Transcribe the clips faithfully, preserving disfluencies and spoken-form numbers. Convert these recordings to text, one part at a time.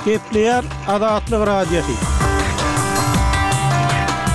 Gepleýär Azatlyk Radiosy.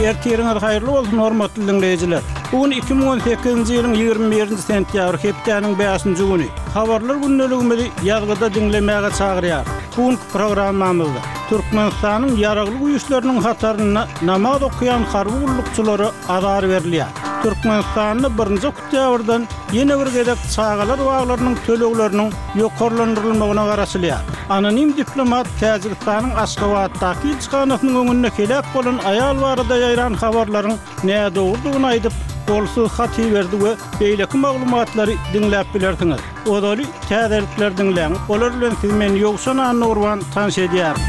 Ertiriňiz haýyrly bolsun, hormatly diňleýjiler. Bu gün iki müň on sekizinji ýylyň ýigrimi birinji sentýabry, hepdäniň bäşinji güni. Habarlar gündeligimizi ýazgyda diňlemäge çagyrýar. Bu günki programmamyzda Türkmenistanyň Ýaragly Güýçleriniň hatarynda namaz okaýan harby gullukçylara azar berilýär. Türkmenistanda birinji oktýabrdan ýene bir gezek çagalar baglarynyň tölegleriniň ýokarlandyrylmagyna garaşylýar. Anonim diplomat Täjigistanyň Aşgabatdaky ilçihanasynyň öňünde heläk bolan aýal barada ýaýran habarlaryň nädogrudygyny aýdyp, golsuz hat iberdi we beýleki maglumatlary diňläp bilersiňiz. Ozaly täzelikleri diňläň, olar bilen sizi men Ýowşan Annagurban tanyş edýärin.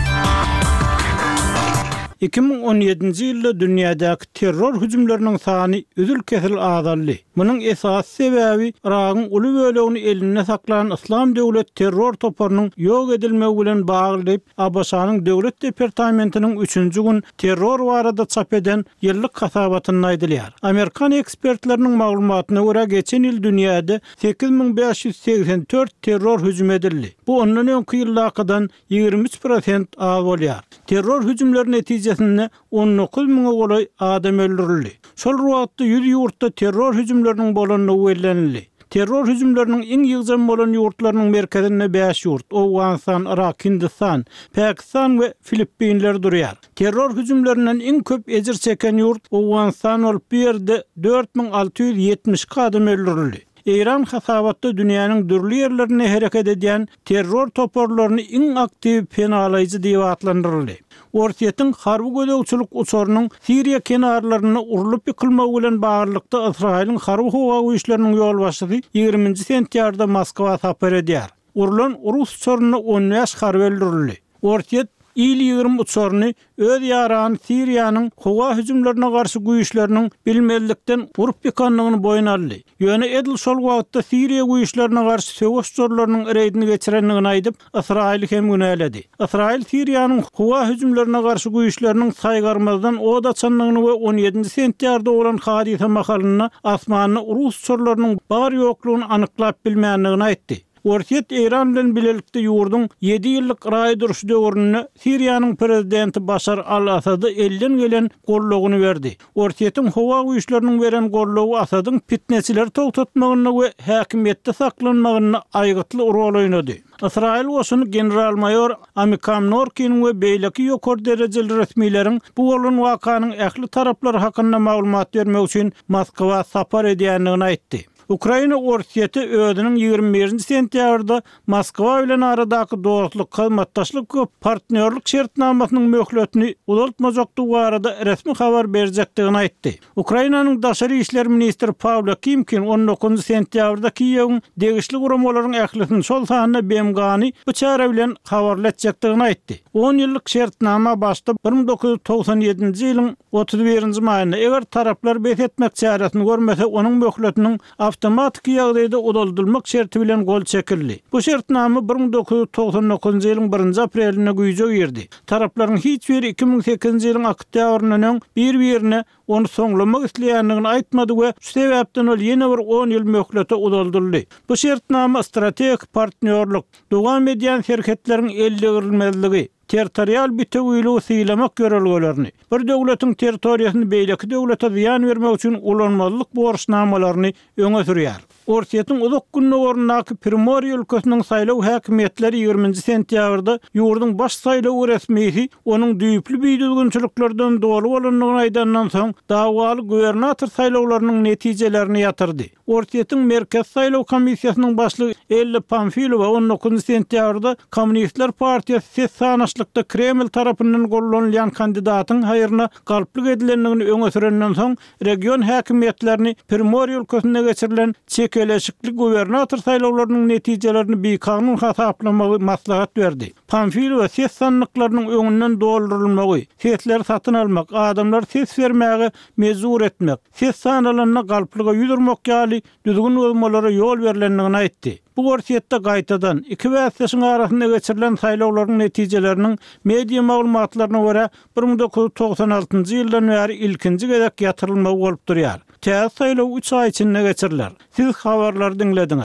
Iki müň on ýedinji ýylda dünýädäki terror hüjümleriniň sany üzül-kesil azaldy. Munuň esasy sebäbi Yragyň uly bölegini elinde saklan Yslam döwlet terror toparynyň ýok edilmegi bilen bagly diýip, A B Ş-nyň Döwlet departamentiniň üçünji gün terror barada çap eden ýyllyk hasabatynda aýdylýar. Amerikan ekspertleriniň maglumatyna görä, geçen ýyl dünýäde sekiz müň bäş ýüz segsen dört terror hüjümi edildi. Bu ondan öňki ýyldakydan ýigrimi üç prosent az bolýar. Terror hüjümleri netijesinde on dokuz müňe golaý adam öldürildi. Şol wagtda ýüz ýurtda terror hüjümleriniň bolandygy bellenildi. Terror hüjümleriniň iň ýygjam bolan ýurtlarynyň merkezinde bäş ýurt, Owganystan, Irak, Hindistan, Pakistan we Filippinler durýar. Terror hüjümlerinden iň köp ejir çeken ýurt Owganystan bolup, bu ýerde dört müň alty ýüz ýetmiş iki adam öldürildi. Eýran hasabatda dünýäniň dürli ýerlerinde hereket edýän terror toparlaryny iň aktiw penalaýjy diýip atlandyryldy. Orsýetiň harby gözegçilik uçarynyň Siriýa kenarlarynda urlup ýykylmagy bilen baglylykda Ysraýylyň harby howa güýçleriniň ýolbaşçysy ýigriminji sentýabrda Moskwa sapar edýär. Urlan rus uçarynda on bäş harby öldürildi. Orsýet Il ýigrimi uçaryny öz ýarany Siriýanyň howa hüjümlerine garşy güýçleriniň bilmezlikden urup ýykandygyny boýun aldy. Ýöne edil şol wagtda Siriýa güýçlerine garşy söweş uçarlarynyň reýdini geçirendigini aýdyp, Ysraýyly hem günäledi. Ysraýyl Siriýanyň howa hüjümlerine garşy güýçleriniň saýgarmazdan od açandygyny we on ýedinji sentýabrda bolan hadysa mahalynda asmanda rus uçarlarynyň bar-ýoklugyny anyklap bilmändigini aýtdy. Orsýet Eýran bilen bilelikde ýurduň ýedi ýyllyk raý duruşy döwründe Siriýanyň prezidenti Başar al-Asada elden gelen goldawyny berdi. Orsýetiň howa güýçleriniň beren goldawy Asadyň pitneçileri togtatmagynda we häkimiýetde saklanmagynda aýgytly rol oýnady. Ysraýyl goşuny general-maýor Amikam Norkiniň we beýleki ýokary derejeli resmileriň bu bolan wakanyň ähli taraplary hakynda maglumat bermek üçin Moskwa sapar edýändigini aýtdy. Ukraina Orsýeti özüniň ýigrimi birinji sentýabrda Moskwa bilen aradaky dostluk, hyzmatdaşlyk we partnýorlyk şertnamasynyň möhletini uzaltmajakdygy barada resmi habar berjekdigini aýtdy. Ukrainanyň daşary işler ministri Pawlo Kimkin on dokuzynjy sentýabrda Kiýewiň degişli guramalaryň ählisini, şol sanda B M G-ny bu çäre bilen habarly etjekdigini aýtdy. On ýyllyk şertnama başda bir müň dokuz ýüz togsan ýedinji ýylyň otuz birinji maýynda, eger taraplar bes etmek çäresini görmese, onuň möhletiniň awtomatiki ýagdaýda uzaldylmak şerti bilen gol çekildi. Bu şertnama bir müň dokuz ýüz togsan dokuzynjy ýylyň birinji aprelinde güýje girdi. Taraplaryň hiç biri iki müň sekizinji ýylyň oktýabryndan öň bir-birine ony soňlamak isleýändigini aýtmady we şu sebäpden ol ýene bir on ýyl möhlete uzaldyldy. Bu şertnama strategik partnýorlyk, dowam edýän serhetleriň eldegrilmezligi, territorial bitewiligi sylamak ýörelgelerini, bir döwletiň territoriýasyny beýleki döwlete zyýan bermek üçin ulanmazlyk borçnamalaryny öňe sürýär. Orsýetiň uzak gündogaryndaky Primorýe ülkesiniň saýlaw häkimiýetleri ýigriminji sentýabrda ýurduň baş saýlaw resmisi onuň düýpli bidüzgünçiliklerden doly bolandygyny aýdandan soň, dawaly gubernator saýlawlarynyň netijelerini ýatyrdy. Orsýetiň Merkezi saýlaw komissiýasynyň başlygy Ella Pamfilowa on dokuzynjy sentýabrda Kommunistler partiýasy ses sanaşlykda Kreml tarapyndan gollanylýan kandidatyň haýryna galplyk edilendigini öňe sürenden soň, region häkimiýetlerini Primorýe ülkesinde geçirilen çekeleşikli gubernator saýlawlarynyň netijelerini bikanun hasaplamagy maslahat berdi. Pamfilowa ses sandyklarynyň öňünden doldurylmagy, sesleri satyn almak, adamlary ses bermäge mejbur etmek, ses sanalanda galplyga ýüz urmak ýaly düzgün bozmalara ýol berlendigini aýtdy. Bu Orsýetde gaýtadan iki bäsdeşiň arasynda geçirilen saýlawlaryň netijeleriniň media maglumatlaryna görä bir müň dokuz ýüz togsan altynjy ýyldan bäri ilkinji gezek ýatyrylmagy bolup durýar. Täze saýlaw üç aý içinde geçiriler. Siz habarlary diňlediňiz.